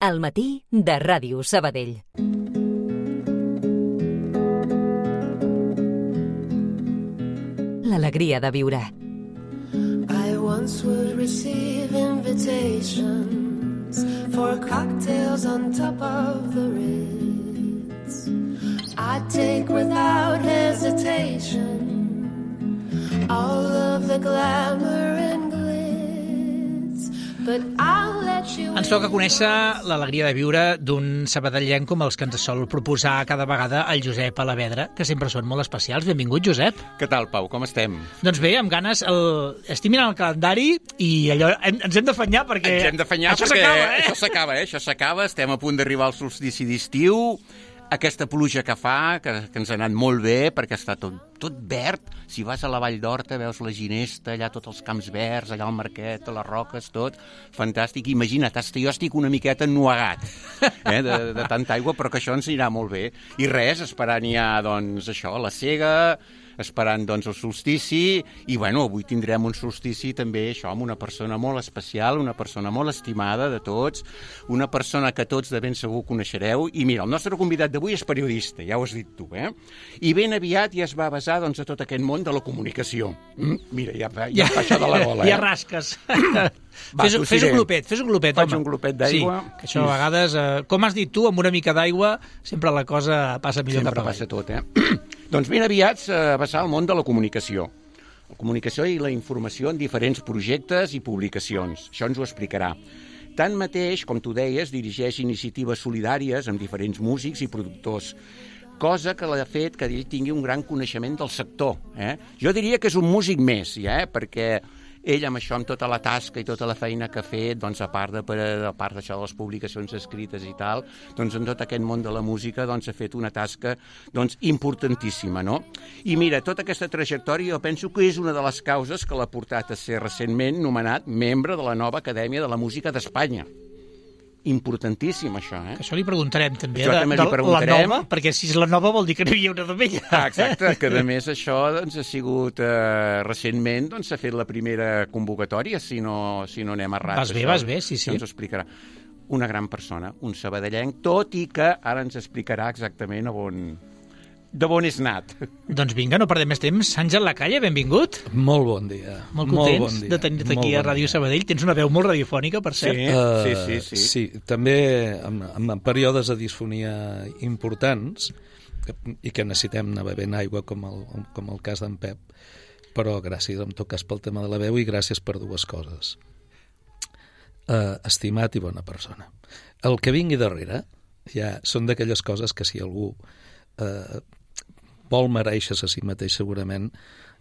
Al matí de Ràdio Sabadell. L'alegria de viure. I once would receive invitations for cocktails on top of the Ritz. I'd take without hesitation all of the glamour and glitz, but I'll let you... Ens toca conèixer l'alegria de viure d'un sabadellenc com els que ens sol proposar cada vegada el Josep Alavedra, que sempre són molt especials. Benvingut, Josep. Què tal, Pau? Com estem? Doncs bé, amb ganes. Estic mirant el calendari i allò ens hem d'afanyar perquè... Ens hem d'afanyar això perquè s'acaba, això s'acaba. Estem a punt d'arribar al solstici d'estiu. Aquesta pluja que fa, que ens ha anat molt bé, perquè està tot verd. Si vas a la Vall d'Horta, veus la Ginesta, allà tots els camps verds, allà al Marquet, les roques, tot. Fantàstic. Imagina't, jo estic una miqueta ennuegat de tanta aigua, però que això ens anirà molt bé. I res, esperant ja, doncs, això, la sega, esperant, doncs, el solstici, i, bueno, avui tindrem un solstici també, això, amb una persona molt especial, una persona molt estimada de tots, una persona que tots de ben segur coneixereu, i mira, el nostre convidat d'avui és periodista, ja ho has dit tu, i ben aviat ja es va basar, doncs, a tot aquest món de la comunicació. Mira, ja fa això de la gola, Ja rasques. Fes un glopet, home. Faig un glopet d'aigua. Sí, que això a vegades, com has dit tu, amb una mica d'aigua, sempre la cosa passa millor sempre cap avall. Passa tot, Doncs ben aviat s'ha basat al món de la comunicació. La comunicació i la informació en diferents projectes i publicacions. Això ens ho explicarà. Tanmateix, com tu deies, dirigeix iniciatives solidàries amb diferents músics i productors, cosa que l'ha fet que ell tingui un gran coneixement del sector. Jo diria que és un músic més, perquè ell amb això, amb tota la tasca i tota la feina que ha fet, doncs a part d'això de les publicacions escrites i tal, doncs en tot aquest món de la música doncs ha fet una tasca doncs importantíssima, no? I mira, tota aquesta trajectòria jo penso que és una de les causes que l'ha portat a ser recentment nomenat membre de la nova Acadèmia de la Música d'Espanya. Importantíssim, això, Això li preguntarem, també, això també li preguntarem. La nova, perquè si és la nova vol dir que no hi havia una de vella. Exacte, que a més això doncs, ha sigut recentment, doncs s'ha fet la primera convocatòria, si no anem errats. Vas bé, sí. Ens ho explicarà. Una gran persona, un sabadellenc, tot i que ara ens explicarà exactament de on és nat. Doncs vinga, no perdem més temps. Àngel Lacalle, benvingut. Molt bon dia. Molt contents de tenir-te aquí a Ràdio Sabadell. Tens una veu molt radiofònica, per cert. Sí. Sí, també en períodes de disfonia importants i que necessitem anar bevent aigua, com el cas d'en Pep, però gràcies, en tot cas, pel tema de la veu i gràcies per dues coses. Estimat i bona persona. El que vingui darrere ja són d'aquelles coses que si algú vol mereixer-se a si mateix segurament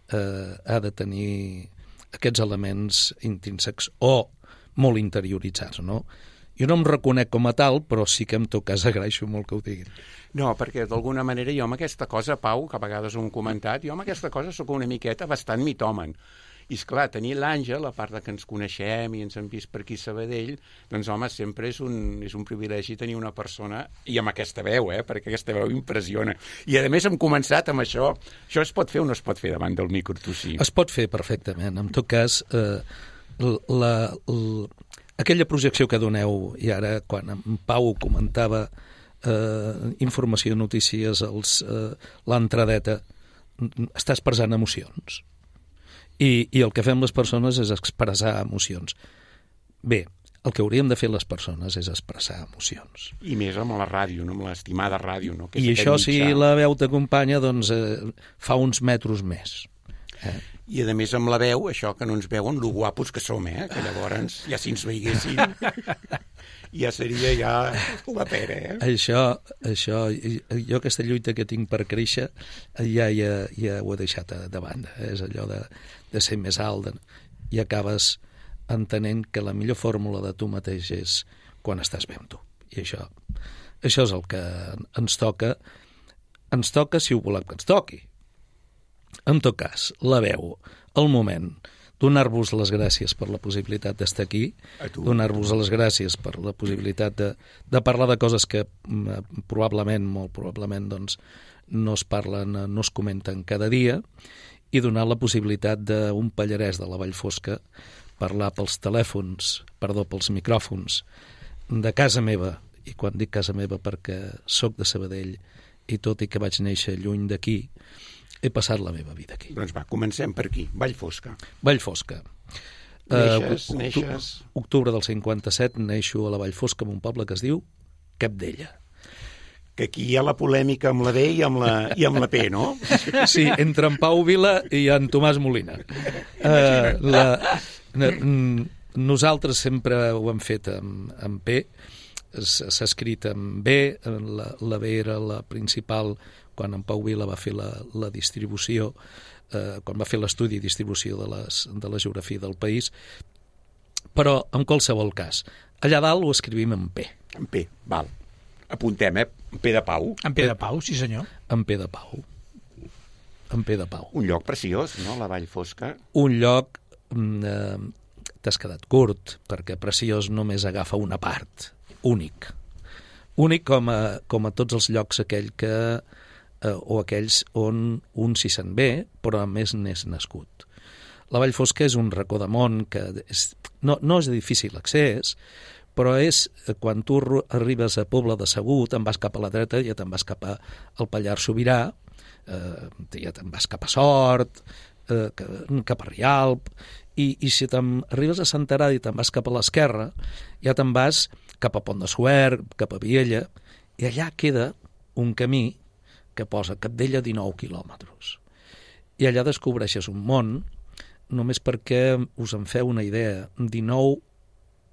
ha de tenir aquests elements intrínsecs o molt interioritzats, no? Jo no em reconec com a tal, però sí que en tot cas agraeixo molt que ho diguin. No, perquè d'alguna manera jo amb aquesta cosa, Pau, que a vegades ho hem comentat, jo amb aquesta cosa sóc una miqueta bastant mitòman. I esclar, tenir l'Àngel, a part que ens coneixem i ens hem vist per aquí a Sabadell, doncs home, sempre és un privilegi tenir una persona, i amb aquesta veu, perquè aquesta veu impressiona. I a més hem començat amb això. Això es pot fer o no es pot fer davant del micro, tu sí? Es pot fer perfectament. En tot cas, aquella projecció que doneu, i ara quan en Pau comentava informació, notícies, l'entradeta, està expressant emocions. I el que fem les persones és expressar emocions. Bé, el que hauríem de fer les persones és expressar emocions. I més amb la ràdio, no? Amb l'estimada ràdio, no? Que I això, si la veu t'acompanya, doncs fa uns metros més. I a més amb la veu, això que no ens veuen, lo guapos que som, que llavors ja si ens veiessin ja seria ja la pera, Això, jo aquesta lluita que tinc per créixer ja ho he deixat de banda, és allò de ser més alt, i acabes entenent que la millor fórmula de tu mateix és quan estàs bé amb tu. I això és el que ens toca si ho volem que ens toqui. En tot cas, la veu, el moment, donar-vos les gràcies per la possibilitat d'estar aquí, donar-vos les gràcies per la possibilitat de parlar de coses que probablement, molt probablement, doncs, no es parlen, no es comenten cada dia, i donar la possibilitat d'un pallarès de la Vall Fosca parlar pels micròfons de casa meva, i quan dic casa meva perquè sóc de Sabadell i tot i que vaig néixer lluny d'aquí, he passat la meva vida aquí. Doncs va, comencem per aquí. Vallfosca. Vallfosca. Neixes... Octubre del 57 neixo a la Vallfosca, en un poble que es diu Capdella. Que aquí hi ha la polèmica amb la D i amb la P, no? Sí, entre en Pau Vila i en Tomàs Molina. Nosaltres sempre ho hem fet amb P, s'ha escrit amb B, la B era la principal quan en Pau Vila va fer la distribució, quan va fer l'estudi i distribució de la geografia del país, però en qualsevol cas, allà dalt ho escrivim en P. En P, val. Apuntem, en P de Pau. En P de Pau, sí senyor. En P de Pau. En P de Pau. Un lloc preciós, no?, la Vallfosca. Un lloc... t'has quedat curt, perquè preciós només agafa una part. Únic. Únic com a tots els llocs o aquells on un s'hi sent bé, però a més n'és nascut. La Vallfosca és un racó de món que no és de difícil accés, però és quan tu arribes a Pobla de Segur, te'n vas cap a la dreta, ja te'n vas cap al Pallars Sobirà, ja te'n vas cap a Sort, cap a Rialp, i si arribes a Senterada i te'n vas cap a l'esquerra, ja te'n vas cap a Pont de Suert, cap a Viella, i allà queda un camí que posa Capdella 19 quilòmetres. I allà descobreixes un món, només perquè us en feu una idea, 19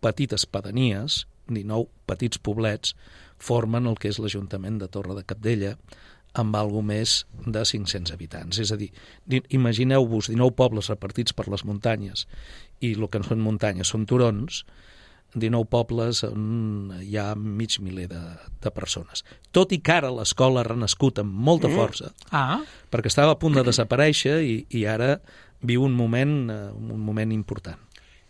petites pedanies, 19 petits poblets, formen el que és l'Ajuntament de Torre de Capdella, amb algo més de 500 habitants. És a dir, imagineu-vos 19 pobles repartits per les muntanyes, i el que no són muntanyes són turons, 19 pobles on hi ha mig miler de persones. Tot i que ara l'escola ha renascut amb molta força, perquè estava a punt de desaparèixer i ara viu un moment important.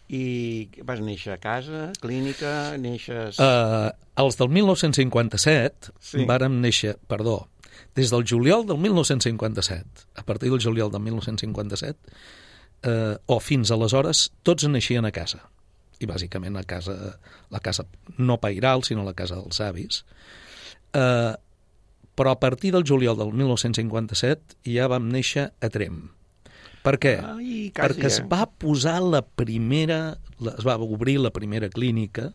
I vas néixer a casa, clínica, neixes... Els del 1957 vàrem néixer, des del juliol del 1957, a partir del juliol del 1957, o fins aleshores, tots naixien a casa. I bàsicament la casa no pairal, sinó la casa dels avis. Però a partir del juliol del 1957 ja vam néixer a Tremp. Per què? Perquè es va posar es va obrir la primera clínica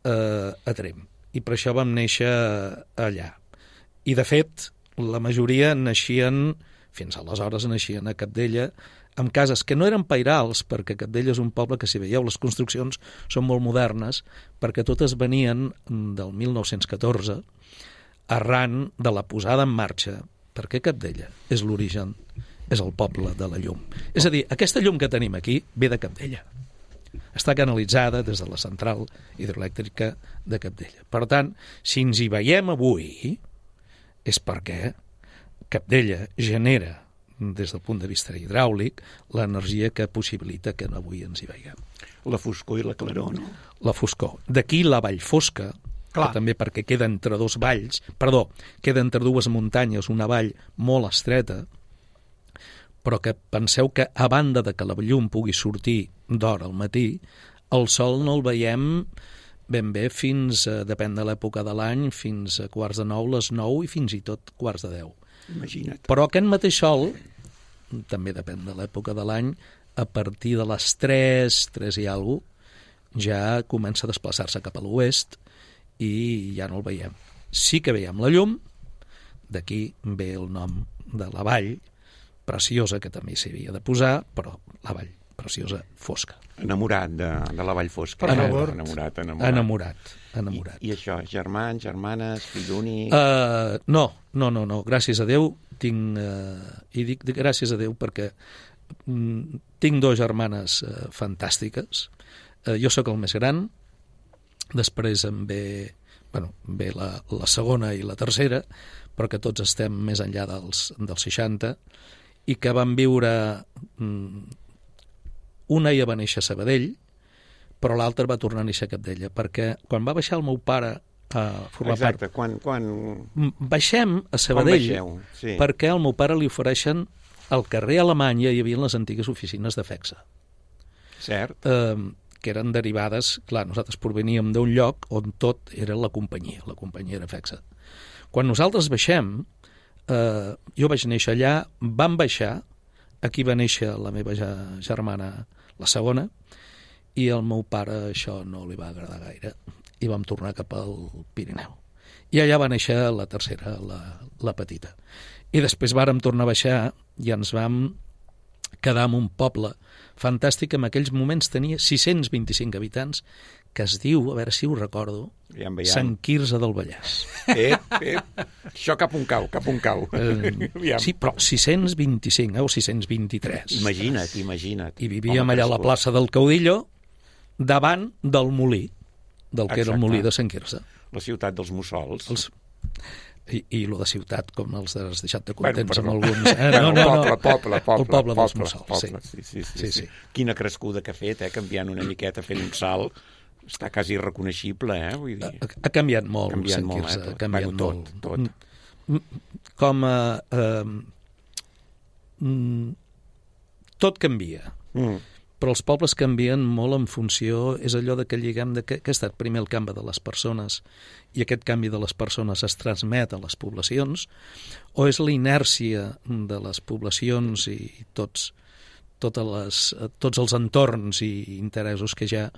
a Tremp. I per això vam néixer allà. I, de fet, la majoria fins aleshores naixien a Capdella, amb cases que no eren pairals, perquè Capdella és un poble que, si veieu, les construccions són molt modernes, perquè totes venien del 1914, arran de la posada en marxa, perquè Capdella és l'origen, és el poble de la llum. És a dir, aquesta llum que tenim aquí ve de Capdella. Està canalitzada des de la central hidroelèctrica de Capdella. Per tant, si ens hi veiem avui, és perquè Capdella genera, des del punt de vista hidràulic, l'energia que possibilita que avui ens hi veiem. La foscor i la claror, no? La foscor. D'aquí la Vallfosca, que també perquè queda entre queda entre dues muntanyes, una vall molt estreta, però que penseu que a banda de que la llum pugui sortir d'hora al matí, el sol no el veiem ben bé fins, depèn de l'època de l'any, fins a 8:45, les 9 i fins i tot 9:45. Imagina't. Però aquest mateix sol, també depèn de l'època de l'any, a partir de les 3 i alguna cosa, ja comença a desplaçar-se cap a l'oest i ja no el veiem. Sí que veiem la llum, d'aquí ve el nom de la vall, preciosa, que també s'hi havia de posar, però la vall preciosa fosca. Enamorat de la Vallfosca. Per favor. Enamorat. I això, germans, germanes, fill únic... No, gràcies a Déu tinc... I dic gràcies a Déu perquè tinc 2 germanes fantàstiques. Jo sóc el més gran, després em ve la segona i la tercera, però que tots estem més enllà dels 60, i que van viure... Una ja va néixer a Sabadell, però l'altra va tornar a néixer a Capdella, perquè quan va baixar el meu pare a formar part... Exacte, quan... Baixem a Sabadell, perquè al meu pare li ofereixen al carrer Alemanya hi havia les antigues oficines de FEXA. Cert. que eren derivades... Clar, nosaltres proveníem d'un lloc on tot era la companyia era fixa. Quan nosaltres baixem, jo vaig néixer allà, vam baixar, aquí va néixer la meva germana, la segona, i al meu pare això no li va agradar gaire, i vam tornar cap al Pirineu. I allà va néixer la tercera, la petita. I després vàrem tornar a baixar i ens vam quedar en un poble fantàstic. En aquells moments tenia 625 habitants, que es diu, a veure si ho recordo, Sant Quirze del Vallès. Això cap on cau. Sí, però 625, o 623. Imagina't. I vivíem allà a la plaça del Caudillo, davant del molí, del que era el molí de Sant Quirze. La ciutat dels mussols. I lo de ciutat, com els has deixat de contents amb alguns. Poble. El poble dels mussols, sí. Quina crescuda que ha fet, canviant una miqueta, fent un salt. Està quasi irreconeixible, vull dir. Ha canviat molt, Sant Quirze. Ha canviat molt. Tot canvia. Però els pobles canvien molt en funció, és allò de que lliguem de que ha estat primer el canvi de les persones i aquest canvi de les persones es transmet a les poblacions, o és la inèrcia de les poblacions i tots els entorns i interessos que hi ha,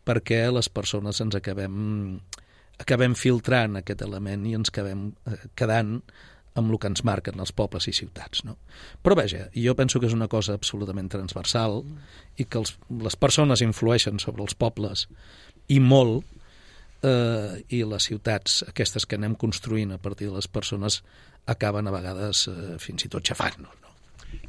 perquè les persones ens acabem filtrant aquest element i ens acabem quedant amb el que ens marquen els pobles i ciutats, no? Però vaja, jo penso que és una cosa absolutament transversal i que les persones influeixen sobre els pobles i molt, i les ciutats, aquestes que anem construint a partir de les persones, acaben a vegades fins i tot xafant-nos, no?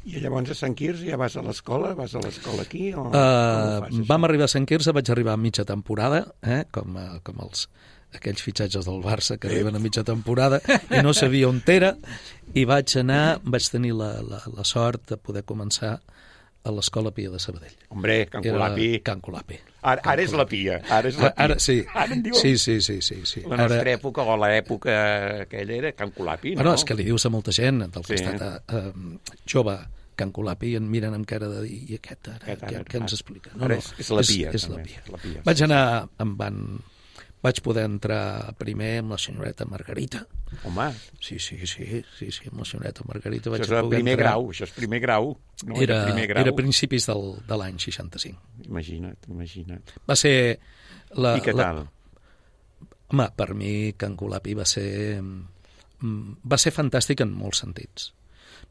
I llavors a Sant Quirze ja vas a l'escola? Vas a l'escola aquí? Vam arribar a Sant Quirze, vaig arribar a mitja temporada, com aquells fitxatges del Barça que arriben a mitja temporada i no sabia on era, i vaig tenir la sort de poder començar a l'Escola Pia de Sabadell. Hombre, Can Colapi. Can Colapi. Ara és la Pia. Ara sí. Ara en diuen... Sí. La nostra època, o l'època aquella, era Can Colapi, no? Bueno, és que li dius a molta gent del costat jove, Can Colapi, en miren amb cara de dir, i aquest ara, què ens explica? No, és la Pia. És la Pia. Vaig poder entrar primer amb la senyoreta Margarita. Home. Sí, amb la senyoreta Margarita. Això és primer grau. No? Era principis de l'any 65. Imagina't. Va ser... I què tal? Home, per mi Can Colapi va ser fantàstic en molts sentits.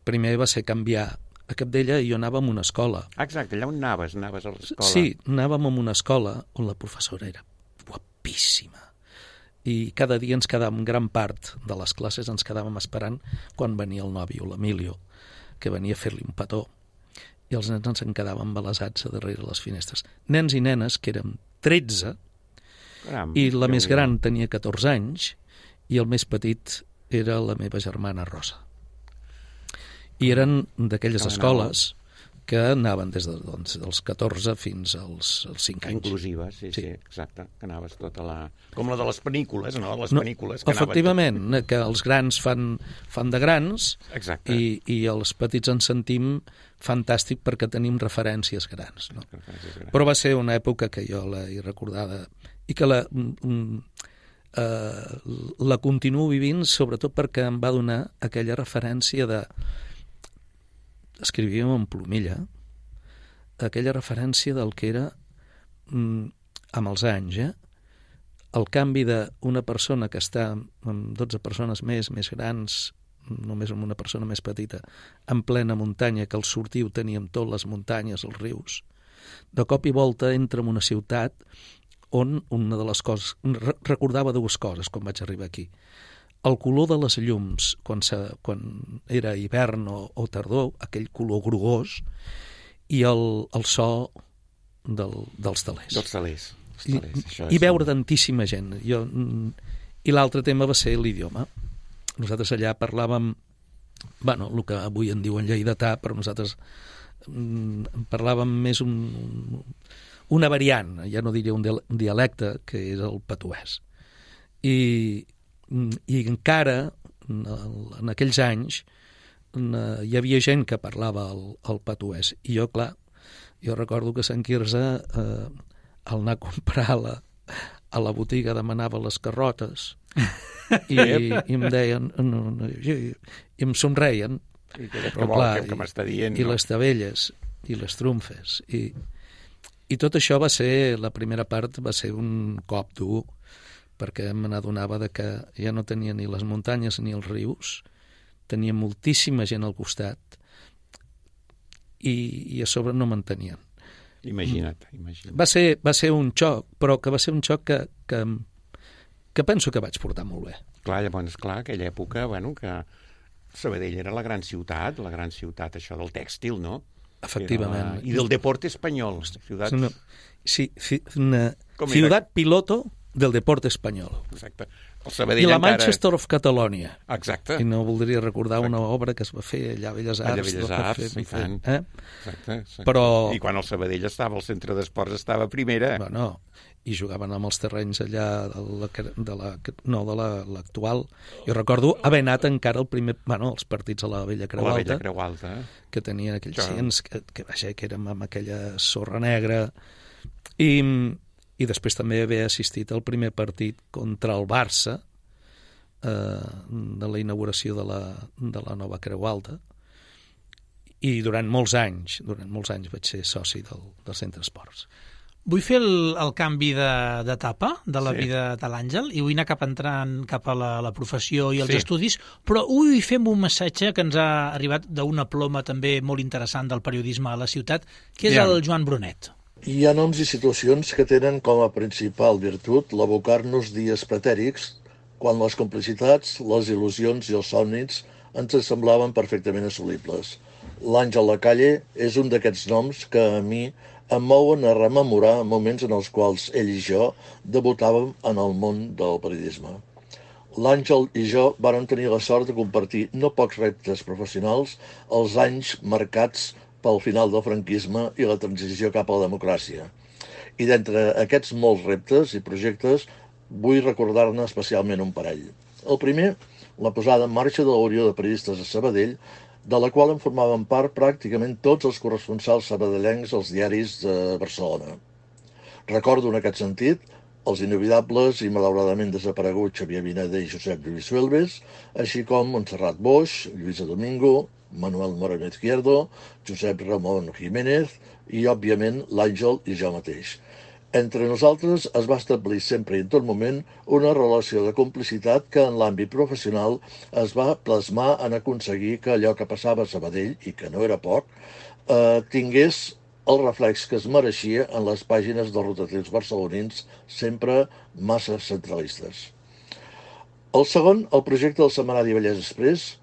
Primer va ser canviar. A Capdella jo anava a una escola. Exacte, allà on anaves a l'escola. Sí, anàvem a una escola on la professora era guapíssima. I cada dia ens quedàvem, gran part de les classes ens quedàvem esperant quan venia el nòvio, l'Emilio, que venia a fer-li un petó. I els nens ens en quedàvem embalassats a darrere les finestres. Nens i nenes, que érem 13, i la més gran tenia 14 anys, i el més petit era la meva germana Rosa. I eren d'aquelles escoles que anaven des dels 14 fins als 5 anys. Inclusives, sí, exacte. Que anaves tota la... Com la de les pel·lícules, no? Les pel·lícules que efectivament, que els grans fan de grans. Exacte. I els petits ens sentim fantàstic perquè tenim referències grans, no? Però va ser una època que jo l'he recordada i que la continuo vivint, sobretot perquè em va donar aquella referència de... Escrivíem en plomilla, aquella referència del que era, amb els anys, el canvi d'una persona que està amb 12 persones més grans, només amb una persona més petita, en plena muntanya, que al sortir ho teníem tot, les muntanyes, els rius. De cop i volta entra en una ciutat on una de les coses... Recordava dues coses quan vaig arribar aquí. El color de les llums, quan era hivern o tardor, aquell color grogós, i el so dels telers. Dels telers. I veure tantíssima gent. I l'altre tema va ser l'idioma. Nosaltres allà parlàvem, el que avui en diuen lleidatà, però nosaltres parlàvem més una variant, ja no diria un dialecte, que és el patuès. I encara, en aquells anys, hi havia gent que parlava el patuès. I jo recordo que a Sant Quirze al anar a comprar a la botiga demanava les carrotes i em deien i em somreien que m'està dient, i les tabelles i les trumfes i tot això va ser, la primera part va ser un cop dur perquè me n'adonava que ja no tenia ni les muntanyes ni els rius, tenia moltíssima gent al costat i a sobre no m'entenien. Imagina't. Va ser un xoc, però que va ser un xoc que penso que vaig portar molt bé. Clar, llavors, aquella època, que Sabadell era la gran ciutat, això del tèxtil, no? Efectivament. I del deporte espanyol. Ciutat piloto del deporte espanyol. Exacte. I la Manchester of Catalonia. Exacte. I no voldria recordar una obra que es va fer allà a Belles Arts. Allà a Belles Arts, i tant. Exacte. Però... I quan el Sabadell estava al centre d'esports estava a primera. No, i jugaven amb els terrenys allà de l'actual. Jo recordo haver anat encara els partits a la Vella Creu Alta. La Vella Creu Alta. Que tenien aquells cients que érem amb aquella sorra negra. I després també haver assistit al primer partit contra el Barça de la inauguració de la nova Creu Alta i durant molts anys vaig ser soci del Centre Esports. Vull fer el canvi d'etapa de la vida de l'Àngel i vull anar entrant cap a la professió i els estudis, però vull fer un missatge que ens ha arribat d'una ploma també molt interessant del periodisme a la ciutat, que és el Joan Brunet. Hi ha noms i situacions que tenen com a principal virtut l'abocar-nos dies pretèrics quan les complicitats, les il·lusions i els somnis ens semblaven perfectament assolibles. L'Àngel Lacalle és un d'aquests noms que a mi em mouen a rememorar moments en els quals ell i jo debutàvem en el món del periodisme. L'Àngel i jo vàrem tenir la sort de compartir no pocs reptes professionals als anys marcats pel final del franquisme i la transició cap a la democràcia. I d'entre aquests molts reptes i projectes vull recordar-ne especialment un parell. El primer, la posada en marxa de la Unió de Periodistes a Sabadell, de la qual en formaven part pràcticament tots els corresponsals sabadellencs als diaris de Barcelona. Recordo en aquest sentit els inolvidables i malauradament desapareguts Xavier Vineda i Josep Lluís Huelves, així com Montserrat Boix, Lluïsa Domingo, Manuel Moreno Izquierdo, Josep Ramon Jiménez i, òbviament, l'Àngel i jo mateix. Entre nosaltres es va establir sempre i en tot moment una relació de complicitat que en l'àmbit professional es va plasmar en aconseguir que allò que passava a Sabadell, i que no era poc, tingués el reflex que es mereixia en les pàgines dels rotatius barcelonins, sempre massa centralistes. El segon, el projecte del setmanari Vallès Express,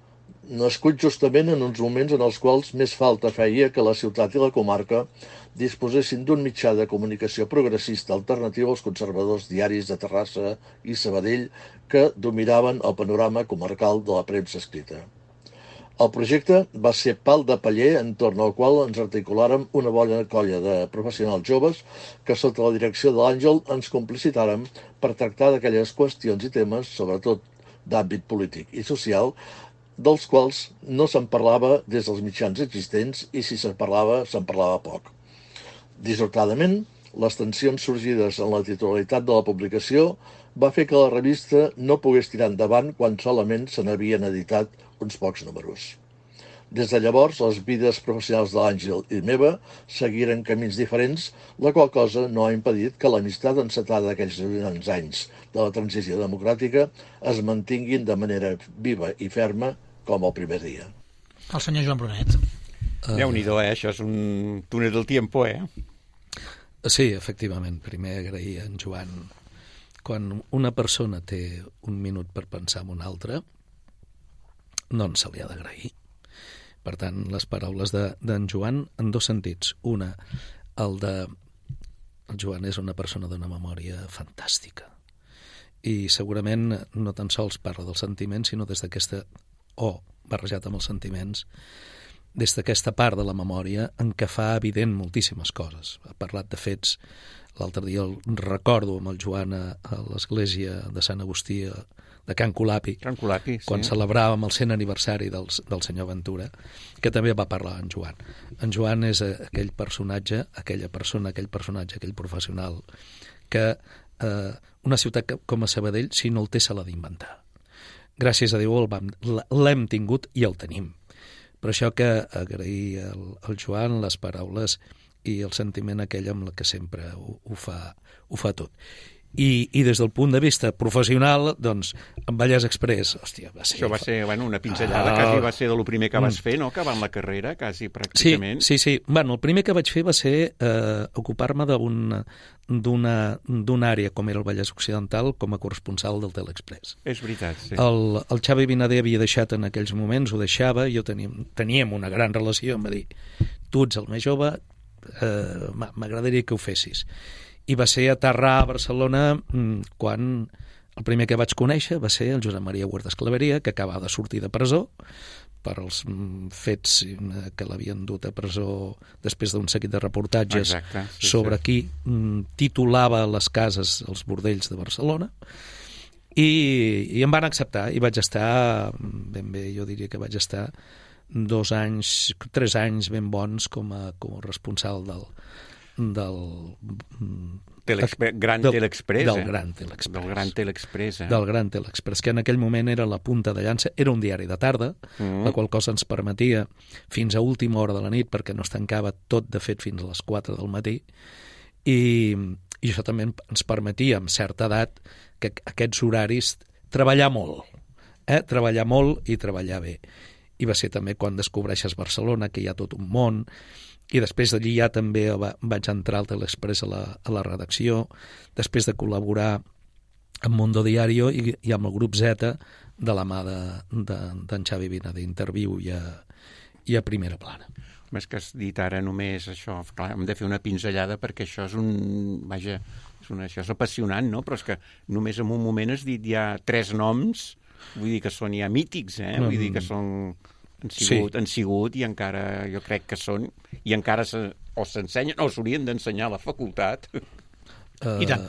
nascut justament en uns moments en els quals més falta feia que la ciutat i la comarca disposessin d'un mitjà de comunicació progressista alternatiu als conservadors diaris de Terrassa i Sabadell que dominaven el panorama comarcal de la premsa escrita. El projecte va ser pal de paller entorn al qual ens articulàrem una bona colla de professionals joves que sota la direcció de l'Àngel ens complicitàrem per tractar d'aquelles qüestions i temes, sobretot d'àmbit polític i social, dels quals no se'n parlava des dels mitjans existents i si se'n parlava poc. Dissortadament, les tensions sorgides en la titularitat de la publicació va fer que la revista no pogués tirar endavant quan solament se n'havien editat uns pocs números. Des de llavors, les vides professionals de l'Àngel i meva seguiren camins diferents, la qual cosa no ha impedit que l'amistat encetada d'aquells anys de la transició democràtica es mantinguin de manera viva i ferma com el primer dia. El senyor Joan Brunet. Déu-n'hi-do, això és un túnel del tiempo, Sí, efectivament. Primer agrair a en Joan. Quan una persona té un minut per pensar en una altra, no se li ha d'agrair. Per tant, les paraules d'en Joan en dos sentits. Una, el Joan és una persona d'una memòria fantàstica. I segurament no tan sols parla dels sentiments, sinó des d'aquesta barrejat amb els sentiments, des d'aquesta part de la memòria en què fa evident moltíssimes coses. Ha parlat de fets. L'altre dia el recordo amb el Joan a l'església de Sant Agustí de Can Colapi, quan celebràvem el 100 aniversari del senyor Ventura, que també va parlar en Joan. En Joan és aquell personatge, aquell professional, que una ciutat com a Sabadell, si no el té, se l'ha d'inventar. Gràcies a Déu l'hem tingut i el tenim. Per això que agrair al Joan les paraules i el sentiment aquell amb el que sempre ho fa tot. I des del punt de vista professional, doncs, en Vallès Express, hòstia, va ser... Això va ser, una pinzellada, quasi va ser de lo primer que vas fer, no?, acabant la carrera, quasi, pràcticament. Sí. Bueno, el primer que vaig fer va ser ocupar-me d'una àrea, com era el Vallès Occidental, com a corresponsal del Telexpress. És veritat, sí. El Xavi Vinader havia deixat en aquells moments, ho deixava, jo teníem una gran relació, em va dir, tu ets el més jove, m'agradaria que ho fessis. I va ser aterrar a Barcelona quan el primer que vaig conèixer va ser el Josep Maria Huertas Claveria, que acabava de sortir de presó per als fets que l'havien dut a presó després d'un seguit de reportatges sobre qui titulava les cases, els bordells de Barcelona, i em van acceptar, i vaig estar ben bé, jo diria que vaig estar 2 anys, 3 anys ben bons com a responsable del Gran Telexpress. Del Gran Telexpress, que en aquell moment era la punta de llança. Era un diari de tarda, la qual cosa ens permetia fins a última hora de la nit, perquè no es tancava tot, de fet, fins a les 4 del matí, i això també ens permetia, amb certa edat, que aquests horaris treballar molt i treballar bé. I va ser també quan descobreixes Barcelona, que hi ha tot un món, i després d'allí ja també vaig entrar al Telexpress a la redacció, després de col·laborar amb Mundo Diario i amb el grup Z de la mà d'en Xavi Vinader, d'Interviu i a Primera Plana. Més que has dit ara només això, clar, hem de fer una pinzellada perquè això és això és apassionant, no? Però és que només en un moment has dit ja 3 noms, vull dir que són ja mítics, vull dir que són... Han sigut i encara jo crec que són, i encara s'ensenyen o s'haurien d'ensenyar a la facultat. I tant.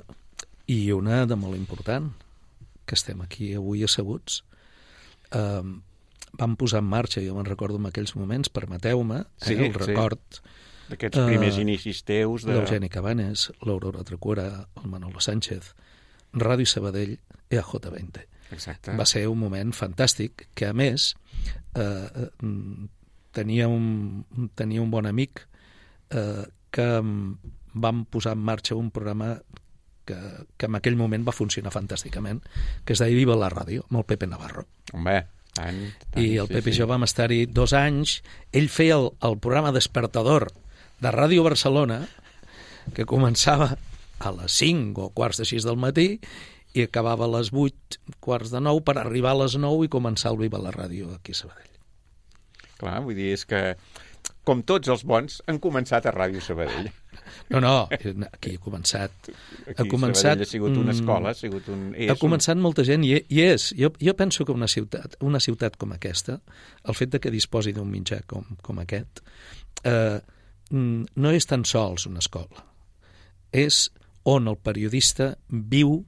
I una de molt important, que estem aquí avui asseguts, vam posar en marxa, jo me'n recordo en aquells moments, permeteu-me, el record d'aquests primers inicis teus l'Eugeni Cabanes, l'Aurora Tracura, el Manolo Sánchez, Ràdio Sabadell, EAJ20. Exacte. Va ser un moment fantàstic, que a més tenia un bon amic que vam posar en marxa un programa que en aquell moment va funcionar fantàsticament, que es deia Viva la Ràdio, amb el Pepe Navarro. Home, i el Pepe i jo vam estar-hi 2 anys. Ell feia el programa Despertador de Ràdio Barcelona, que començava a les 5 o quarts de 6 del matí i acabava a les 8, quarts de 9, per arribar a les 9 i començar el Viva la Ràdio aquí a Sabadell. Clar, vull dir, és que, com tots els bons, han començat a Ràdio Sabadell. No, aquí ha començat... Sabadell ha sigut una escola, ha començat molta gent i és. Jo penso que una ciutat com aquesta, el fet de que disposi d'un mitjà com aquest, no és tan sols una escola. És on el periodista viu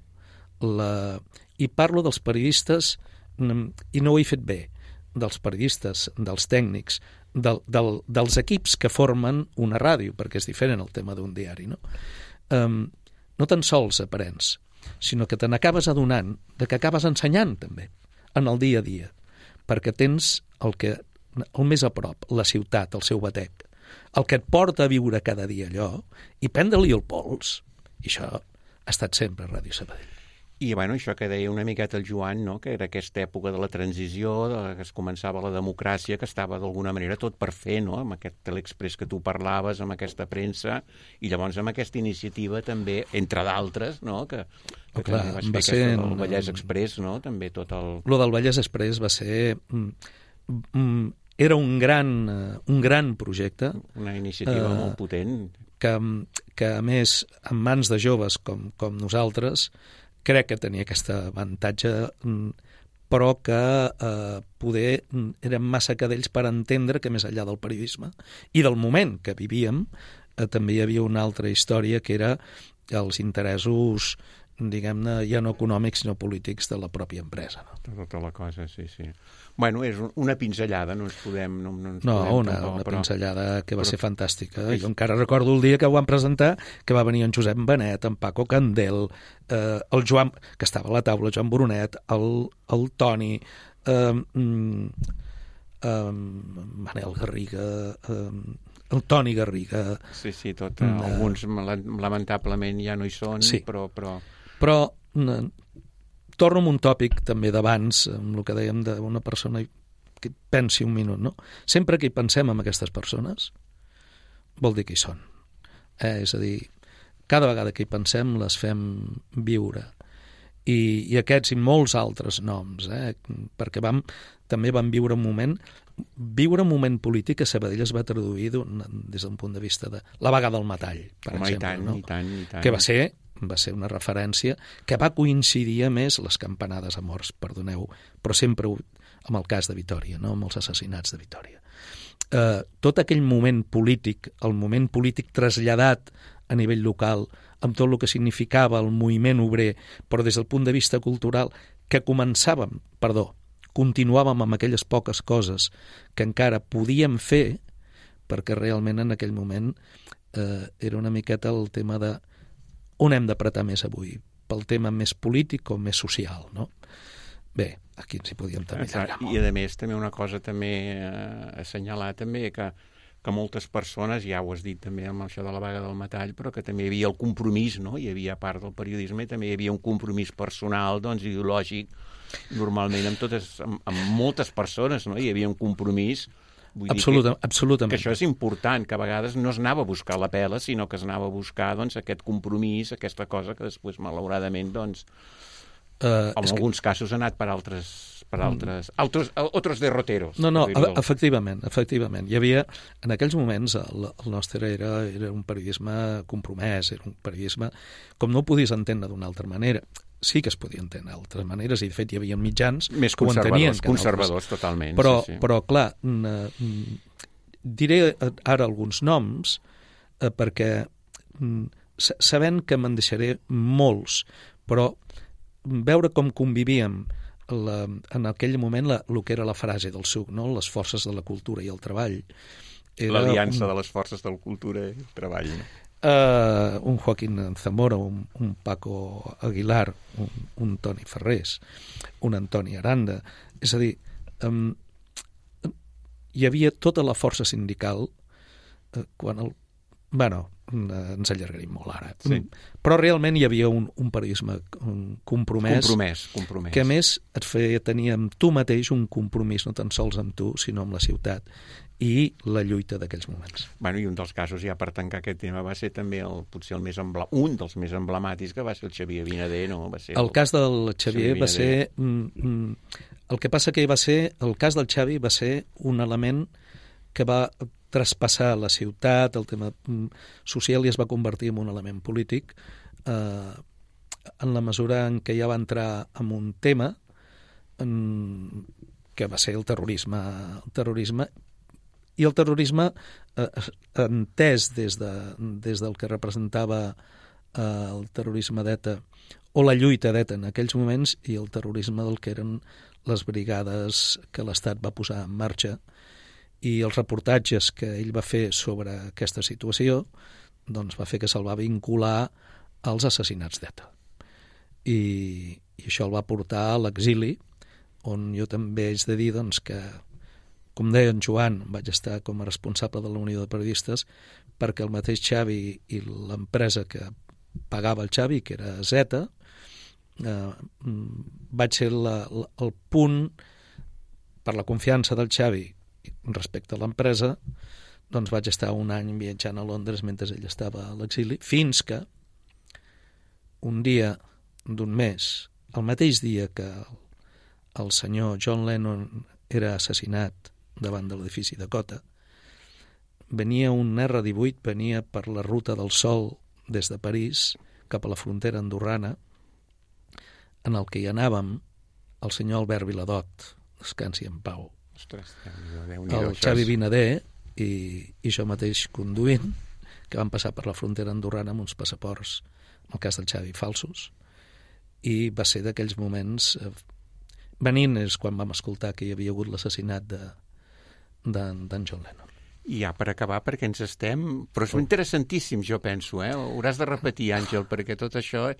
i parlo dels periodistes, i no ho he fet bé, dels periodistes, dels tècnics, dels equips que formen una ràdio, perquè és diferent el tema d'un diari, no? No tan sols aprens, sinó que te n'acabes adonant de que acabes ensenyant també, en el dia a dia, perquè tens el més a prop, la ciutat, el seu batec, el que et porta a viure cada dia allò, i prendre-li el pols, i això ha estat sempre a Ràdio Sabadell. I això que deia una miqueta el Joan, no? Que era aquesta època de la transició, que es començava la democràcia, que estava d'alguna manera tot per fer, no? Amb aquest Telexpress que tu parlaves, amb aquesta premsa, i llavors amb aquesta iniciativa també, entre d'altres, no? Que clar, també vas fer el Vallès Express, no? També tot el... Lo del Vallès Express va ser... Era un gran projecte. Una iniciativa molt potent. Que a més, en mans de joves com nosaltres, crec que tenia aquest avantatge però que poder eren massa cadells per entendre que més enllà del periodisme i del moment que vivíem també hi havia una altra història que era els interessos, diguem-ne, ja no econòmics sinó polítics de la pròpia empresa. Tota la cosa, sí. Bueno, és una pinzellada, no ens podem... Una pinzellada que va ser fantàstica. Jo encara recordo el dia que ho van presentar, que va venir en Josep Benet, en Paco Candel, el Joan, que estava a la taula, Joan Brunet, el Toni, Manel Garriga, el Toni Garriga... Sí, tot. Alguns lamentablement ja no hi són, sí. Però torno amb un tòpic també d'abans, amb el que dèiem d'una persona que pensi un minut, no? Sempre que hi pensem en aquestes persones, vol dir que hi són. És a dir, cada vegada que hi pensem les fem viure. I aquests i molts altres noms, perquè també vam viure un moment polític que a Sabadell es va traduir des d'un punt de vista de la vaga del metall, per exemple. I tant. Que va ser una referència que va coincidir a més les campanades a morts, perdoneu, però sempre amb el cas de Vitòria, no? Amb els assassinats de Vitòria. Tot aquell moment polític, el moment polític traslladat a nivell local, amb tot el que significava el moviment obrer, però des del punt de vista cultural, que continuàvem amb aquelles poques coses que encara podíem fer, perquè realment en aquell moment era una miqueta el tema de on hem d'apretar més avui, pel tema més polític o més social, no? Bé, aquí ens hi podíem també allargar molt. I a més, també una cosa també assenyalar també que moltes persones, ja ho has dit també amb això de la vaga del metall, però que també hi havia el compromís, no? Hi havia part del periodisme, també hi havia un compromís personal, doncs, ideològic, normalment amb moltes persones, no? Hi havia un compromís. Absolutament. Que això és important, que a vegades no es anava a buscar la pela, sinó que es anava a buscar doncs, aquest compromís, aquesta cosa que després, malauradament, doncs, en alguns casos ha anat per otros derroteros. No, efectivament. Hi havia, en aquells moments, el nostre era un periodisme compromès, era un periodisme com no ho podies entendre d'una altra manera. Sí que es podia entendre d'altres maneres, i de fet hi havia mitjans més que ho entenien. Conservadors, totalment. Però clar, diré ara alguns noms, perquè sabent que me'n deixaré molts, però veure com convivíem en aquell moment el que era la frase del SUC, no? Les forces de la cultura i el treball. L'aliança de les forces de la cultura i el treball, no? Un Joaquín Zamora, un Paco Aguilar, un Toni Ferrés, un Antoni Aranda. És a dir, hi havia tota la força sindical ens allargarim molt ara. Sí. Però realment hi havia un periodisme compromès, que a més et feia tenir amb tu mateix un compromís no tan sols amb tu, sinó amb la ciutat i la lluita d'aquells moments. I un dels casos, ja per tancar aquest tema, va ser també potser un dels més emblemàtics, que va ser el Xavier Vinader, no? El cas del Xavier va ser... El que passa que el cas del Xavi va ser un element que va traspassar la ciutat, el tema social, i es va convertir en un element polític en la mesura en què ja va entrar en un tema que va ser el terrorisme. I el terrorisme entès des del que representava el terrorisme d'ETA o la lluita d'ETA en aquells moments i el terrorisme del que eren les brigades que l'Estat va posar en marxa, i els reportatges que ell va fer sobre aquesta situació doncs va fer que se'l va vincular als assassinats d'ETA. I això el va portar a l'exili, on jo també haig de dir doncs, que, com deia en Joan, vaig estar com a responsable de la Unió de Periodistes perquè el mateix Xavi i l'empresa que pagava el Xavi, que era Zeta, vaig ser el punt, per la confiança del Xavi respecte a l'empresa, doncs vaig estar un any viatjant a Londres mentre ell estava a l'exili, fins que un dia d'un mes, el mateix dia que el senyor John Lennon era assassinat davant de l'edifici Dakota, venia un R-18, venia per la Ruta del Sol des de París cap a la frontera andorrana, en el que hi anàvem el senyor Albert Viladot, descansi en pau, Ostres, Déu-n'hi-do, el Xavi Vinader i jo mateix conduint, que van passar per la frontera andorrana amb uns passaports, en el cas del Xavi, falsos, i va ser d'aquells moments... Venint és quan vam escoltar que hi havia hagut l'assassinat d'en John Lennon. I ja per acabar, perquè ens estem... Però és interessantíssim, jo penso, Hauràs de repetir, Àngel, perquè tot això...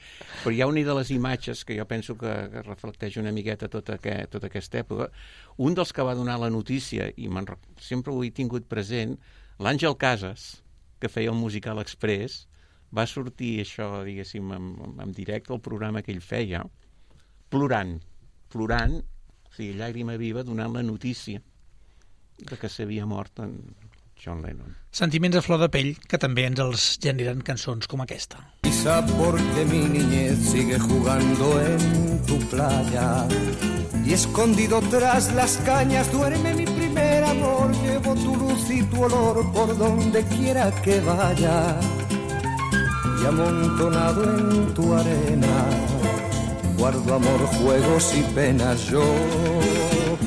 Però hi ha una de les imatges que jo penso que reflecteix una miqueta tota aquesta època. Un dels que va donar la notícia, i sempre ho he tingut present, l'Àngel Casas, que feia el Musical Express, va sortir això, diguéssim, en directe al programa que ell feia, plorant, o sigui, llàgrima viva, donant la notícia de que s'havia mort en John Lennon. Sentiments a flor de pell que també ens els generen cançons com aquesta. Quizá porque mi niñez sigue jugando en tu playa y escondido tras las cañas duerme mi primer amor. Llevo tu luz y tu olor por donde quiera que vaya y amontonado en tu arena guardo amor, juegos y penas. Yo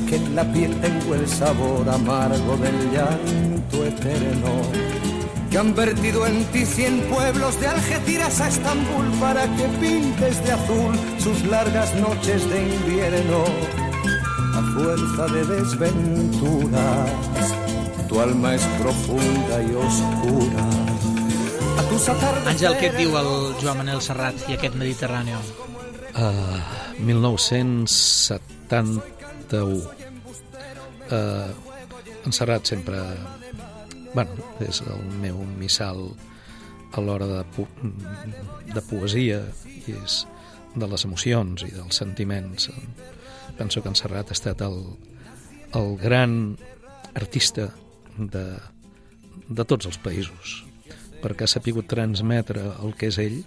que en la piel tengo el sabor amargo del llanto eterno, que han vertido en ti 100 pueblos de Algeciras a Estambul para que pintes de azul sus largas noches de invierno. A fuerza de desventuras, tu alma es profunda y oscura. A tus atardeceres... Àngel, què et diu el Joan Manel Serrat i aquest Mediterráneo? 1971. En Serrat sempre... és el meu missal a l'hora de poesia i és de les emocions i dels sentiments. Penso que en Serrat ha estat el gran artista de tots els països, perquè ha sapigut transmetre el que és ell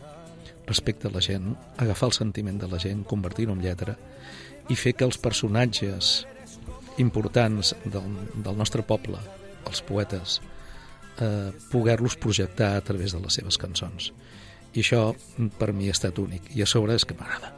respecte a la gent, agafar el sentiment de la gent, convertir-ho en lletra i fer que els personatges importants del nostre poble, els poetes, poder-los projectar a través de les seves cançons. I això per mi ha estat únic i a sobre és que m'agrada.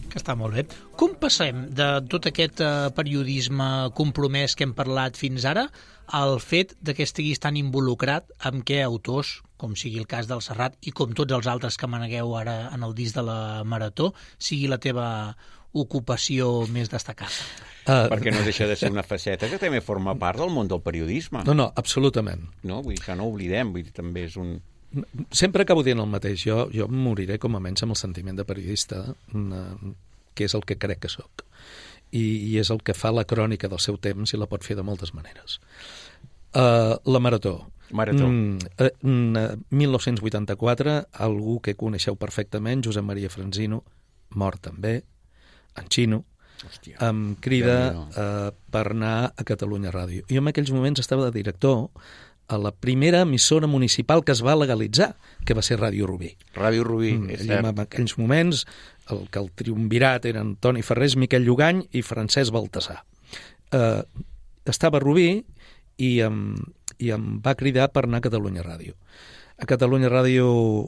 Que està molt bé. Com passem de tot aquest periodisme compromès que hem parlat fins ara al fet de que estiguis tan involucrat amb què autors, com sigui el cas del Serrat i com tots els altres que manegueu ara en el disc de la Marató, sigui la teva ocupació més destacada? Perquè no deixa de ser una faceta que també forma part del món del periodisme. No, absolutament. No, vull dir que no oblidem, vull dir, també és un... Sempre acabo dient el mateix. Jo em moriré com a menys amb el sentiment de periodista, que és el que crec que sóc. I és el que fa la crònica del seu temps i la pot fer de moltes maneres. La Marató. 1984, algú que coneixeu perfectament, Josep Maria Franzino, mort també, en Xino, em crida per anar a Catalunya Ràdio. Jo en aquells moments estava de director a la primera emissora municipal que es va legalitzar, que va ser Ràdio Rubí. Ràdio Rubí, és cert. En aquells moments el triumvirat eren Toni Ferrés, Miquel Llugany i Francesc Baltasar. Estava a Rubí i em va cridar per anar a Catalunya Ràdio. A Catalunya Ràdio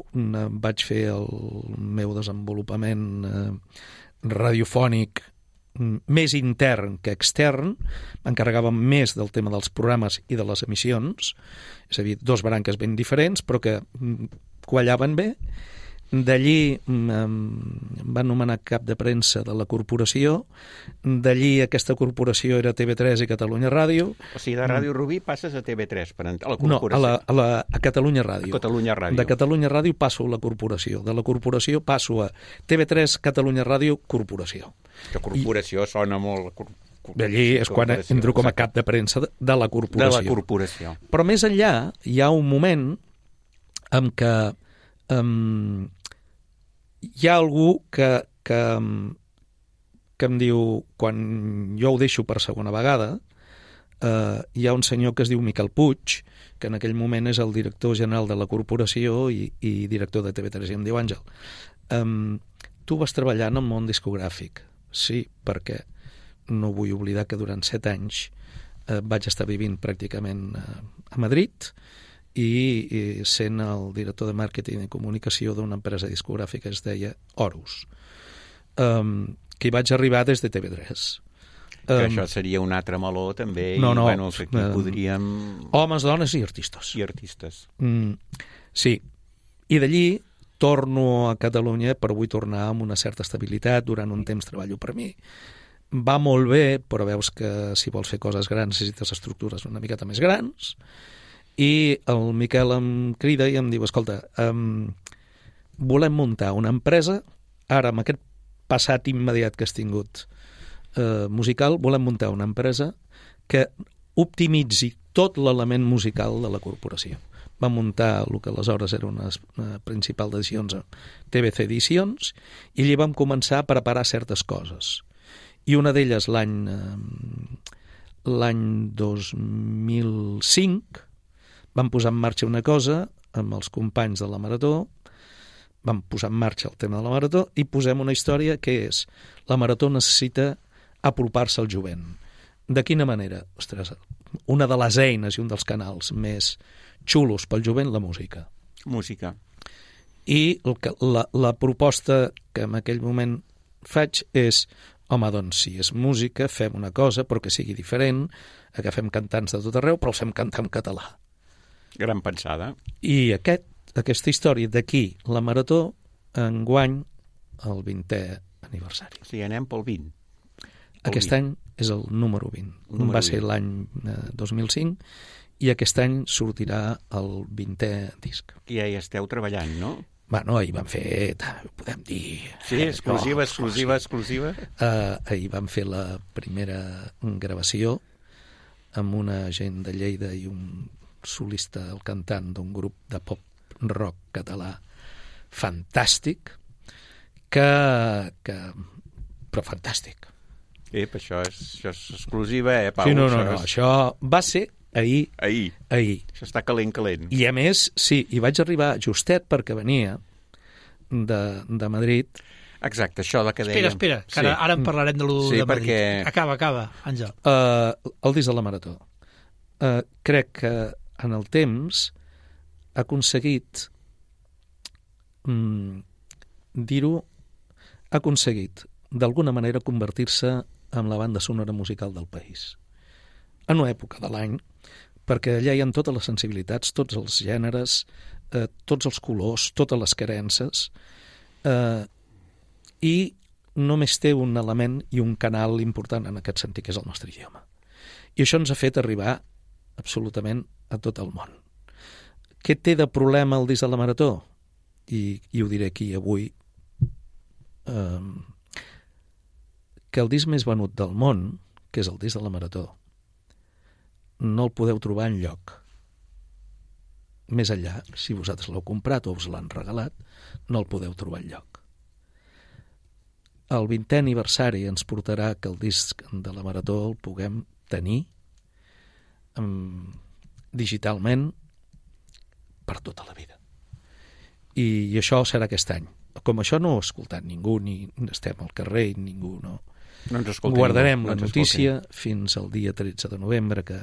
vaig fer el meu desenvolupament radiofònic més intern que extern, m'encarregava més del tema dels programes i de les emissions, és a dir, dos branques ben diferents, però que quallaven bé. D'allí em va nomenar cap de premsa de la corporació, d'allí aquesta corporació era TV3 i Catalunya Ràdio. O sigui, de Ràdio Rubí passes a TV3, a la corporació. No, a Catalunya Ràdio. A Catalunya Ràdio. De Catalunya Ràdio passo a la corporació, de la corporació passo a TV3, Catalunya Ràdio, corporació. Que corporació sona molt... D'allí és quan entro com a cap de premsa de la corporació. De la corporació. Però més enllà hi ha un moment en què hi ha algú que em diu, quan jo ho deixo per segona vegada, hi ha un senyor que es diu Miquel Puig, que en aquell moment és el director general de la corporació i director de TV3, i em diu: Àngel, tu vas treballar en el món discogràfic. Sí, perquè no vull oblidar que durant 7 anys vaig estar vivint pràcticament a Madrid i sent el director de màrqueting i comunicació d'una empresa discogràfica que es deia Horus. que hi vaig arribar des de TV3. Que això seria un altre meló, també, no, i bueno, aquí podríem... Homes, dones i artistes. I artistes. Sí, i d'allí torno a Catalunya, però vull tornar amb una certa estabilitat, durant un temps treballo per mi. Va molt bé, però veus que si vols fer coses grans necessites estructures una miqueta més grans, i el Miquel em crida i em diu, escolta, volem muntar una empresa, ara amb aquest passat immediat que has tingut musical, volem muntar una empresa que optimitzi tot l'element musical de la corporació. Va muntar el que aleshores era una principal d'edicions, TBC Edicions, i allí vam començar a preparar certes coses. I una d'elles l'any 2005 vam posar en marxa una cosa amb els companys de la Marató, vam posar en marxa el tema de la Marató i posem una història que és la Marató necessita apropar-se al jovent. De quina manera? Ostres, una de les eines i un dels canals més xulos pel jovent, la música. Música. I la proposta que en aquell moment faig és, home, doncs, si és música, fem una cosa, però que sigui diferent, agafem cantants de tot arreu, però els fem cantar en català. Gran pensada. I aquesta història d'aquí, la Marató, enguany el 20è aniversari. O sigui, anem pel 20. Aquest any és el número 20. Va ser l'any 2005 i aquest any sortirà el 20è disc. I ja hi esteu treballant, no? Bueno, ahir vam fer, ho podem dir... Sí, exclusiva. Ahir vam fer la primera gravació amb una gent de Lleida i un solista, el cantant d'un grup de pop-rock català fantàstic, però fantàstic. Això és exclusiva, Pau? Sí, no, això va ser ahir. Això està calent. I a més, sí, hi vaig arribar justet perquè venia de Madrid. Exacte, això de que dèiem. Espera, que ara en parlarem de de Madrid. Acaba, Àngel. El disc de la Marató. Crec que en el temps ha aconseguit d'alguna manera convertir-se en la banda sonora musical del país. En una època de l'any, perquè allà hi ha totes les sensibilitats, tots els gèneres, tots els colors, totes les creences, i només té un element i un canal important en aquest sentit, que és el nostre idioma. I això ens ha fet arribar absolutament a tot el món. Què té de problema el disc de la Marató? I ho diré aquí avui, que el disc més venut del món, que és el disc de la Marató, no el podeu trobar enlloc. Més enllà, si vosaltres l'heu comprat o us l'han regalat, no el podeu trobar enlloc. El 20è aniversari ens portarà que el disc de la Marató el puguem tenir digitalment per tota la vida. I això serà aquest any. Com això no ho ha escoltat ningú, ni estem al carrer, ningú no guardarem la notícia fins al dia 13 de novembre que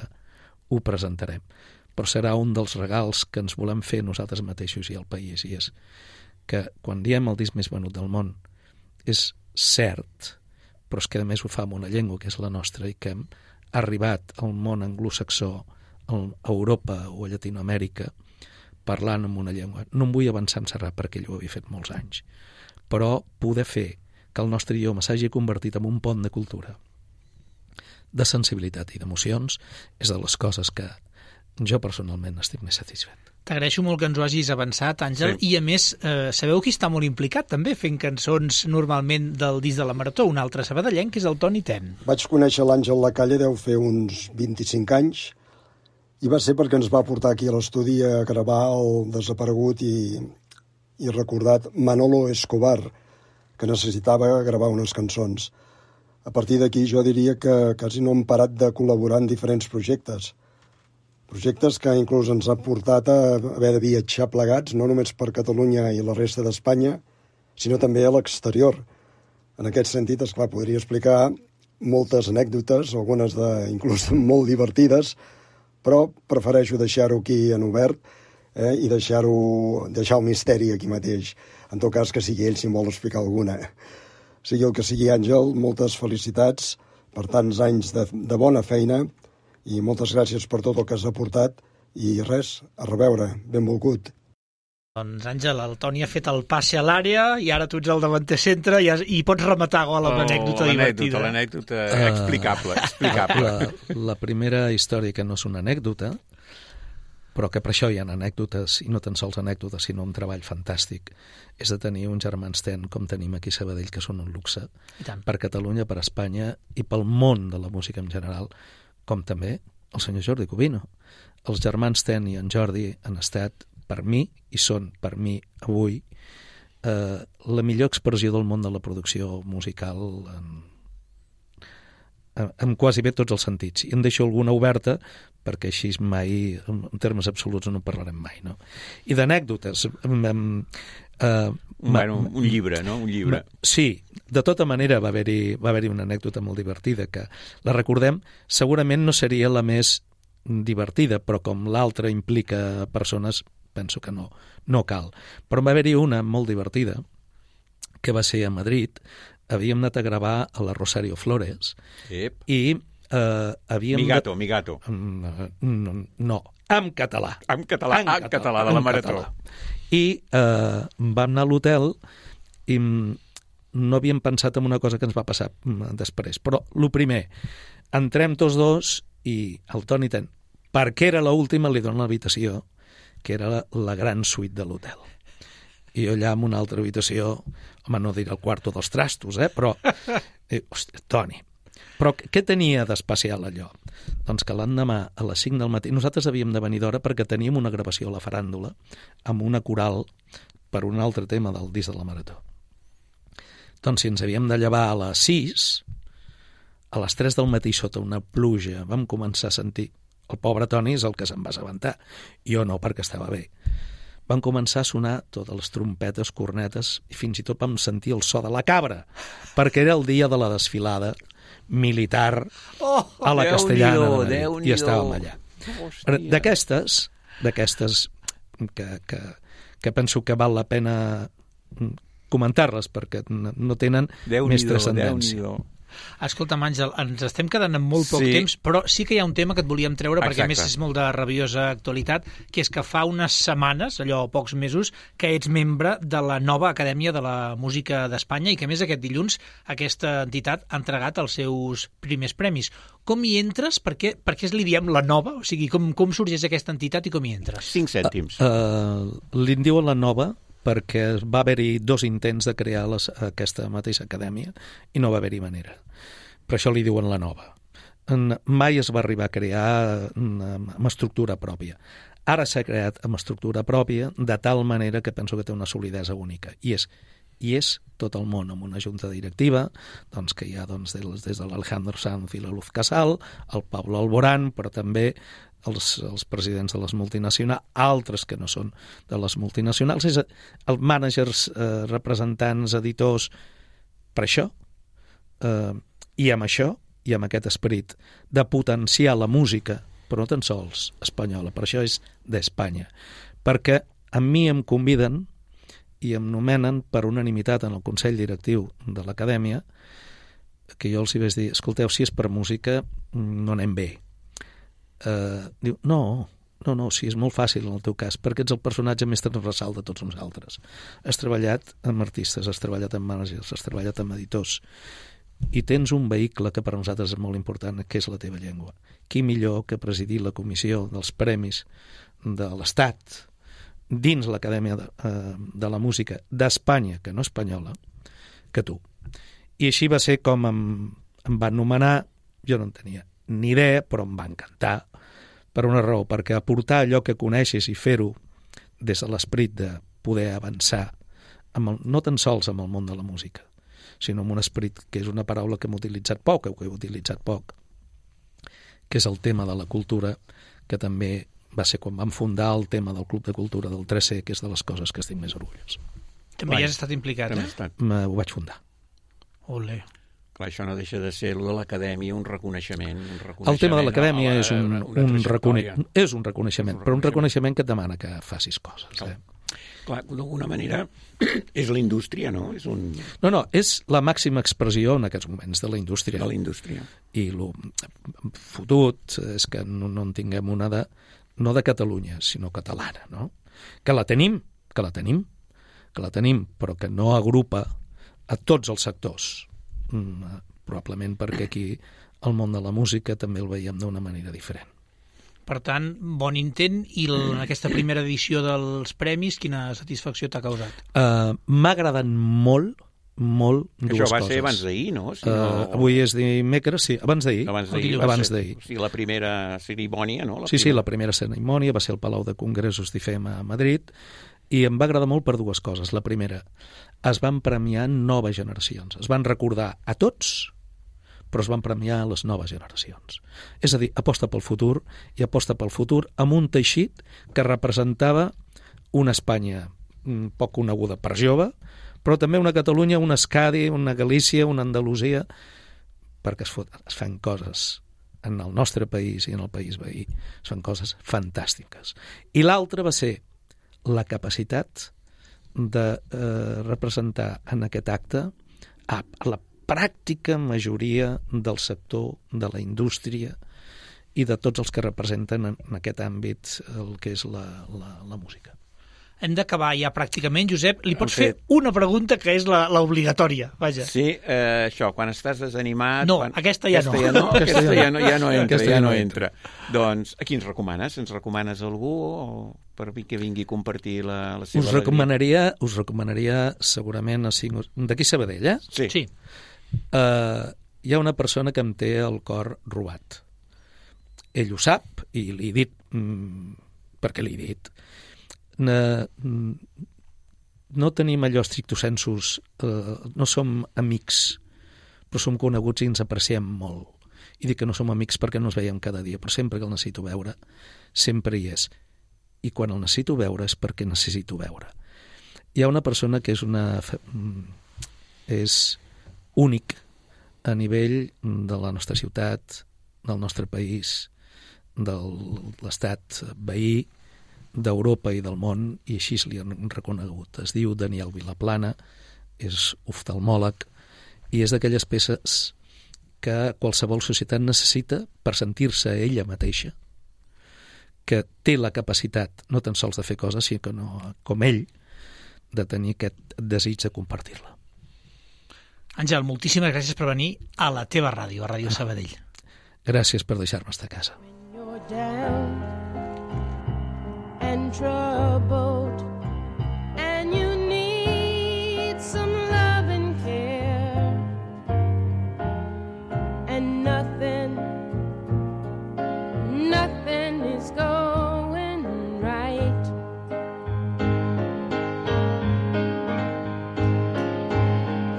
ho presentarem. Però serà un dels regals que ens volem fer nosaltres mateixos i al país, i és que quan diem el disc més venut del món és cert, però és que a més ho fa en una llengua que és la nostra i que hem arribat al món anglosaxó, a Europa o a Llatinoamèrica, parlant en una llengua. No em vull avançar en Serrat perquè ell ho havia fet molts anys, però poder fer que el nostre idioma s'hagi convertit en un pont de cultura, de sensibilitat i d'emocions, és de les coses que jo personalment estic més satisfet. T'agraeixo molt que ens ho hagis avançat, Àngel, sí. I a més, sabeu qui està molt implicat també fent cançons normalment del disc de la Marató, un altre sabadellenc, que és el Toni Ten. Vaig conèixer l'Àngel Lacalle, deu fer uns 25 anys, i va ser perquè ens va portar aquí a l'estudi a gravar el desaparegut i recordat Manolo Escobar, que necessitava gravar unes cançons. A partir d'aquí jo diria que quasi no hem parat de col·laborar en diferents projectes que inclús ens han portat a haver de viatjar plegats, no només per Catalunya i la resta d'Espanya, sinó també a l'exterior. En aquest sentit, esclar, podria explicar moltes anècdotes, algunes inclús molt divertides, però prefereixo deixar-ho aquí en obert i deixar el misteri aquí mateix. En tot cas, que sigui ell si en vol explicar alguna. Sigui el que sigui, Àngel, moltes felicitats per tants anys de bona feina i moltes gràcies per tot el que has aportat i res, a reveure, benvolgut. Doncs, Àngel, el Toni ha fet el passe a l'àrea i ara tu ets el davanter centre i pots rematar amb l'anècdota divertida. L'anècdota explicable. La primera història, que no és una anècdota, però que per això hi ha anècdotes, i no tan sols anècdotes, sinó un treball fantàstic, és de tenir uns germans Ten, com tenim aquí a Sabadell, que són un luxe per Catalunya, per Espanya i pel món de la música en general, com també el senyor Jordi Cubino. Els germans Ten i en Jordi han estat, per mi, i són per mi avui, la millor expressió del món de la producció musical en quasi bé tots els sentits. I en deixo alguna oberta perquè així mai, en termes absoluts, no en parlarem mai, no? I d'anècdotes... un llibre, no? Un llibre. Sí, de tota manera va haver-hi una anècdota molt divertida que la recordem, segurament no seria la més divertida, però com l'altra implica persones, penso que no cal. Però va haver-hi una molt divertida, que va ser a Madrid. Havíem anat a gravar a la Rosario Flores i havíem... Migato. No, en català. En català, de la Marató. I vam anar a l'hotel i no havíem pensat en una cosa que ens va passar després. Però, el primer, entrem tots dos i el Toni Ten, perquè era l'última, li dona l'habitació, que era la gran suite de l'hotel. I jo allà en una altra habitació, home, no diré el quarto dels trastos, però... Hòstia, Toni. Però què tenia d'especial allò? Doncs que l'endemà, a les 5 del matí, nosaltres havíem de venir d'hora perquè teníem una gravació a la faràndula amb una coral per un altre tema del disc de la Marató. Doncs si ens havíem de llevar a les 6, a les 3 del matí sota una pluja vam començar a sentir... El pobre Toni és el que se'n va assabentar. Jo no, perquè estava bé. Van començar a sonar totes les trompetes, cornetes, i fins i tot vam sentir el so de la cabra, perquè era el dia de la desfilada militar a la Castellana de Madrid, i estàvem allà. D'aquestes que penso que val la pena comentar-les, perquè no tenen més transcendència. Escolta'm, Àngel, ens estem quedant amb molt poc temps, però sí que hi ha un tema que et volíem treure, perquè a més és molt de rabiosa actualitat, que és que fa unes setmanes, allò pocs mesos, que ets membre de la nova Acadèmia de la Música d'Espanya i que a més aquest dilluns aquesta entitat ha entregat els seus primers premis. Com hi entres? Per què li diem la nova? O sigui, com sorgeix aquesta entitat i com hi entres? 5 cèntims. Li diuen la nova perquè va haver-hi 2 intents de crear aquesta mateixa acadèmia i no va haver-hi manera. Per això li diuen la nova. Mai es va arribar a crear amb estructura pròpia. Ara s'ha creat amb estructura pròpia de tal manera que penso que té una solidesa única. I és tot el món, amb una junta directiva doncs, que hi ha des de l'Alejandro Sanz i la Luz Casal, el Pablo Alborán, però també els presidents de les multinacionals, altres que no són de les multinacionals, els mànagers, representants, editors, per això, i amb això, i amb aquest esperit de potenciar la música, però no tan sols espanyola, per això és d'Espanya, perquè a mi em conviden i em nomenen per unanimitat en el Consell Directiu de l'Acadèmia, que jo els hi vaig dir, escolteu, si és per música, no anem bé. Diu, no, sí, és molt fàcil en el teu cas, perquè ets el personatge més transversal de tots nosaltres. Has treballat amb artistes, has treballat amb mànagers, has treballat amb editors, i tens un vehicle que per nosaltres és molt important, que és la teva llengua. Qui millor que presidir la comissió dels premis de l'Estat dins l'Acadèmia de la Música d'Espanya, que no espanyola, que tu. I així va ser com em van nomenar, jo no en tenia ni idea, però em va encantar, per una raó, perquè aportar allò que coneixes i fer-ho des de l'esperit de poder avançar, no tan sols amb el món de la música, sinó amb un esperit, que és una paraula que hem utilitzat poc, que és el tema de la cultura, que també va ser quan vam fundar el tema del Club de Cultura del 3C, que és de les coses que estic més orgullós. També hi has estat implicat, Ho vaig fundar. Olé. Clar, això no deixa de ser de l'Acadèmia un reconeixement. El tema de l'Acadèmia és un reconeixement, però un reconeixement que et demana que facis coses. Clar, d'alguna manera és la indústria, no? És un... No, és la màxima expressió en aquests moments de la indústria. De la indústria. I el fotut és que no en tinguem una no de Catalunya, sinó catalana, no? Que la tenim, però que no agrupa a tots els sectors. Probablement perquè aquí el món de la música també el veiem d'una manera diferent. Per tant, bon intent, i en aquesta primera edició dels premis, quina satisfacció t'ha causat? M'ha agradat molt dues coses. Això va ser abans d'ahir, no? Avui és dimecres, sí, abans d'ahir. Abans d'ahir. O sigui, la primera cerimònia, no? Sí, la primera cerimònia va ser al Palau de Congressos d'IFEM a Madrid, i em va agradar molt per dues coses. La primera, es van premiar noves generacions. Es van recordar a tots, però es van premiar a les noves generacions. És a dir, aposta pel futur, i aposta pel futur amb un teixit que representava una Espanya poc coneguda per jove, però també una Catalunya, una Euskadi, una Galícia, una Andalusia, perquè es fan coses en el nostre país i en el país veí. Es fan coses fantàstiques. I l'altra va ser la capacitat de representar en aquest acte a la pràctica majoria del sector de la indústria i de tots els que representen en aquest àmbit el que és la música. Hem d'acabar ja pràcticament, Josep. Li pots fer una pregunta que és l'obligatòria, vaja. Sí, això, quan estàs desanimat... No, aquesta ja no. Aquesta ja no entra. Doncs, a qui ens recomanes? Ens recomanes algú o per que vingui a compartir la seva alegria? Us recomanaria segurament d'aquí Sabadell, eh? Sí. Hi ha una persona que em té el cor robat. Ell ho sap i li he dit perquè li he dit. No tenim allò stricto sensus, no som amics, però som coneguts i ens apreciem molt. I dic que no som amics perquè no ens veiem cada dia, però sempre que el necessito veure, sempre hi és. I quan el necessito veure és perquè necessito veure. Hi ha una persona que és únic a nivell de la nostra ciutat, del nostre país, de l'estat veí, d'Europa i del món, i així li han reconegut. Es diu Daniel Vilaplana, és oftalmòleg, i és d'aquelles peces que qualsevol societat necessita per sentir-se ella mateixa, que té la capacitat no tan sols de fer coses, sinó que com ell, de tenir aquest desig de compartir-la. Àngel, moltíssimes gràcies per venir a la teva ràdio, a Ràdio Sabadell. Gràcies per deixar-me estar a casa. And troubled, and you need some love and care, and nothing is going right.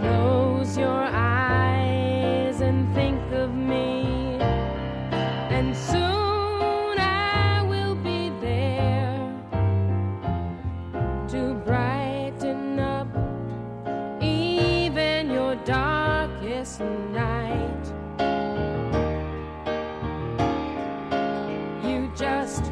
Close your eyes and think of me, and soon to brighten up even your darkest night. You just